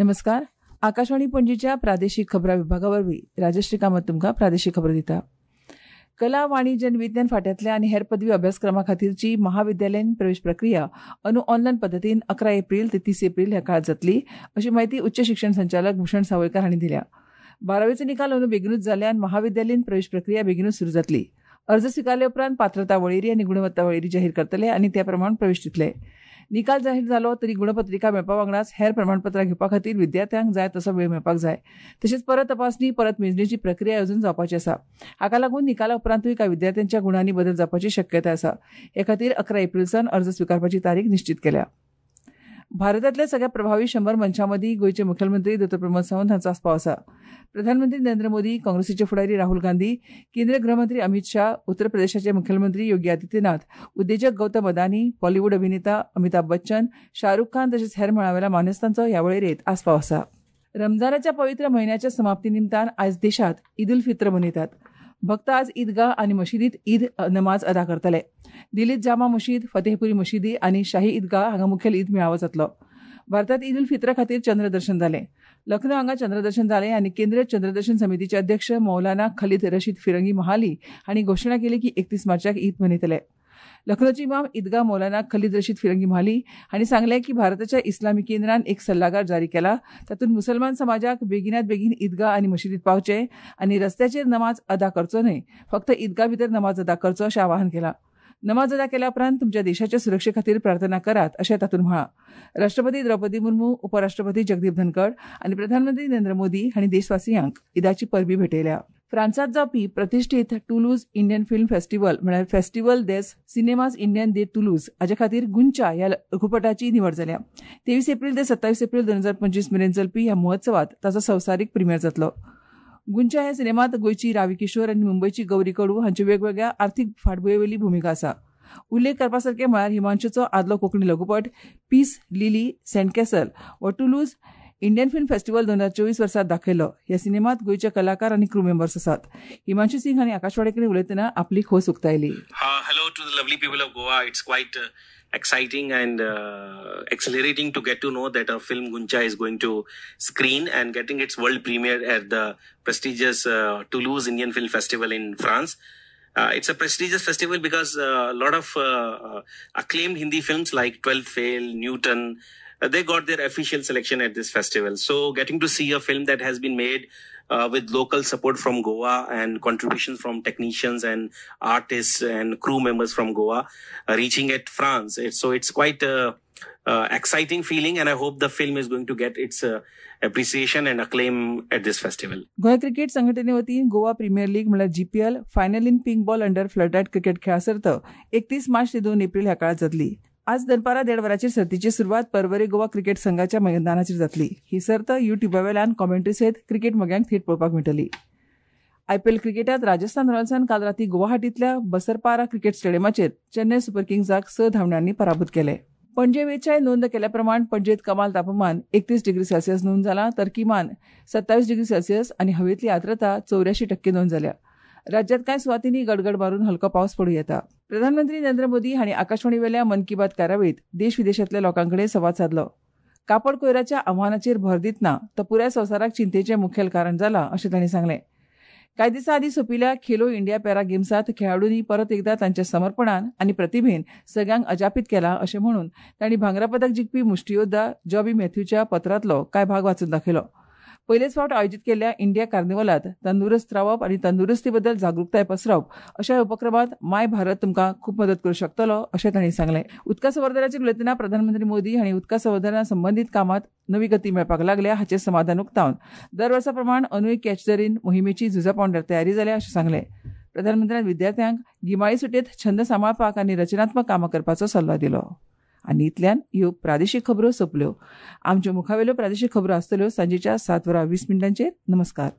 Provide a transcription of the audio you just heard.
नमस्कार. आकाशवाणी पणजीच्या प्रादेशीक खबरां विभागा वरवीं राजश्री कामत तुमकां प्रादेशीक खबर दिता. कला, वाणिज्य आनी विज्ञान फाट्यांतल्या आनी हेर पदवी अभ्यासक्रमा खातीरची महाविद्यालयीन प्रवेश प्रक्रिया अंदू ऑनलायन पद्दतीन 11 एप्रील ते 30 एप्रील ह्या काळात जातली अशी माहिती उच्च शिक्षण संचालक भूषण सावयकार हांणी दिल्या. 12वीचो निकाल अंदू बेगिनूच जाल्ल्यान महाविद्यालयीन प्रवेश प्रक्रिया बेगिनूच सुरू जातली. अर्ज स्विकारले उपरांत पात्रता वळेरी आनी गुणवत्ता वळेरी जाहीर करतले आनी त्या प्रमाण प्रवेश दितले. निकाल जाहीर जालो तरी गुणपत्रिका मेळपा वांगडाच हेर प्रमाणपत्रां घेवपा खातीर विद्यार्थ्यांक जाय तसो वेळ मेळपाक जाय. तशेंच परत तपासणी, परत मेजणीची प्रक्रिया अजून जावपाची आसा. हाका लागून निकाला उपरांतूय कांय विद्यार्थ्यांच्या गुणांनी बदल जावपाची शक्यताय आसा. हे खातीर 11 एप्रील सावन अर्ज स्विकारपाची तारीख निश्चीत केल्या. भारतांतल्या सगळ्या प्रभावी 100 मनशां मदीं गोंयचे मुखेलमंत्री दो. प्रमोद सावंत हांचो आस्पाव आसा. प्रधानमंत्री नरेंद्र मोदी, काँग्रेसीचे फुडारी राहुल गांधी, केंद्रीय गृहमंत्री अमित शाह, उत्तर प्रदेशाचे मुखेलमंत्री योगी आदित्यनाथ, उद्देजक गौतम अदानी, बॉलिवूड अभिनेता अमिताभ बच्चन, शाहरुख खान तशेंच हेर मळावेल्या मानेस्तांचो ह्या वळेरेंत आस्पाव आसा. रमजानाच्या पवित्र म्हयन्याच्या समाप्ती निमतान आयज देशांत ईद उल फित्र मनयतात. भक्त आज ईदगाह आनी मशिदींत ईद नमाज अदा करतले. दिल्लीत जामा मशीद, फतेहपुरी मशिदी आनी शाही ईदगाह हांगा मुखेल ईद मेळावो जातलो. भारतात ईद उल फित्र खातीर चंद्रदर्शन जालें. लखनौ हांगा चंद्रदर्शन जालें आनी केंद्रीय चंद्रदर्शन समितीचे अध्यक्ष मौलाना खलीद रशीद फिरंगी महाली हांणी घोशणा केली की 31 मार्चाक ईद मनयतले. लखनौचे इमाम ईदगाह मौलाना खलीद रशीद फिरंगी महाली हांणी सांगलें की भारताच्या इस्लामी केंद्रान एक सल्लागार जारी केला. तातूंत मुसलमान समाजाक बेगिनात बेगीन ईदगाह आनी मशिदींत पावचें आनी रस्त्याचेर नमाज अदा करचो न्हय, फक्त ईदगाह भितर नमाज अदा करचो अशें आवाहन केलां. नमाज अदा केल्या उपरांत तुमच्या देशाच्या सुरक्षे खातीर प्रार्थना करात अशें तातूंत म्हळां. राष्ट्रपती द्रौपदी मुर्मू, उपराष्ट्रपती जगदीप धनखड आनी प्रधानमंत्री नरेंद्र मोदी हांणी देशवासियांक ईदाची परबी भेटयल्या. फ्रांसांत जावपी प्रतिश्ठीत टुलूज इंडियन फिल्म फेस्टिव्हल म्हळ्यार Festival des Cinemas Indian de Toulouse हाचे खातीर गुंचा ह्या लघुपटाची निवड जाल्या. 23 एप्रील ते 27 एप्रील 2025 मेरेन चलपी ह्या महोत्सवात ताचो संवसारीक प्रिमियर जातलो. गुंचा ह्या सिनेमांत गोंयची रावी किशोर आनी मुंबयची गौरी कडू हांच्यो वेगवेगळ्या आर्थीक फाटभुंयेवेली भुमिका आसा. उल्लेख करपा सारकें म्हळ्यार हिमांशूचो आदलो कोंकणी लघुपट पीस लिली सँडकॅसल हो टुलूज इंडियन फिल्म फेस्टिव्हल 2024 वर्सा दाखयलो. ह्या सिनेमात गोंयचे कलाकार आनी क्रू मेंबर्स आसात. हिमांशू सिंग हांणी आकाशवाणी कडेन उलयतना आपली खोस उक्तायली. Hello to the lovely people of Goa. It's quite exciting and exhilarating to get to know that a film Guncha is going to screen and getting its world premiere at the prestigious Toulouse Indian Film Festival in France. It's a prestigious festival because a lot of acclaimed Hindi films like 12th Fail, Newton, they got their official selection at this festival. So getting to see a film that has been made with local support from Goa and contributions from technicians and artists and crew members from Goa reaching at France. It's quite a exciting feeling, and I hope the film is going to get its appreciation and acclaim at this festival. Goa cricket संघटने वतीन Goa premiere league म्हळ्यार GPL final in pink ball under floodlight cricket खेळा सर्त 31 मार्च ते 2 एप्रील ह्या काळात जातली. आज दनपारां 1:30 वरांचेर सर्तीची सुरवात पर्वरे गोवा क्रिकेट संघाच्या मैदानाचेर जातली. ही सर्त युट्युबावेल्यान कॉमेंट्री सयत क्रिकेट मोग्यांक थेट पळोवपाक मेळटली. आयपीएल क्रिकेटात राजस्थान रॉयल्सान काल राती गुवाहाटींतल्या बसरपारा क्रिकेट स्टेडियमाचेर चेन्नय सुपर किंग्साक 6 धांवड्यांनी पराभूत केले. पणजे वेळच्याय नोंद केल्या प्रमाण पणजेत कमाल तापमान 31 डिग्री सेल्सियस नोंद जाला, तर किमान 27 डिग्री सेल्सियस आनी हवेतली आर्द्रता 84% नोंद जाल्या. राज्यात कांय सुवातींनी गडगड मारून हलको पावस पडूं येता. प्रधानमंत्री नरेंद्र मोदी हांणी आकाशवाणीवेल्या मन की बात कार्यावळींत देश विदेशांतल्या लोकां कडेन संवाद सादलो. कापड कोयराच्या आव्हानाचेर भर दितना तो पुराय संवसाराक चिंतेचें मुखेल कारण जाला अशें तांणी सांगलें. कांय दिसां आदीं सोंपिल्ल्या खेलो इंडिया पॅरा गेम्सांत खेळाडूंनी परत एकदा तांच्या समर्पणान आनी प्रतिभेन सगळ्यांक अजापीत केला अशें म्हणून तांणी भांगरा पदक जिखपी मुष्टियोद्धा जॉबी मॅथ्यूच्या पत्रांतलो कांय भाग वाचून दाखयलो. पयलेच फावट आयोजीत केल्ल्या इंडिया कार्निवलांत तंदुरुस्त रावप आनी तंदुरुस्ती बद्दल जागृताय पसरावप अशा उपक्रमांत माय भारत तुमकां खूब मदत करूं शकतलो अशें तांणी सांगलें. उदका संवर्धनाचेर उलयतना प्रधानमंत्री मोदी हांणी उदका संवर्धना संबंदीत कामांत नवी गती मेळपाक लागल्या हाचें समाधान उक्तावन दर वर्सा प्रमाण अंदूय कॅच the रेन मोहिमेची झुजा पावंड्यार तयारी जाल्या अशें सांगलें. प्रधानमंत्र्यान विद्यार्थ्यांक गिमाळी सुटयेंत छंद सांबाळपाक आनी रचनात्मक कामां करपाचो सल्लो दिलो. आनी इतल्यान ह्यो प्रादेशीक खबरो सोंपल्यो. आमच्यो मुखावेल्यो प्रादेशीक खबरो आसतल्यो सांजेच्या 7:20. नमस्कार.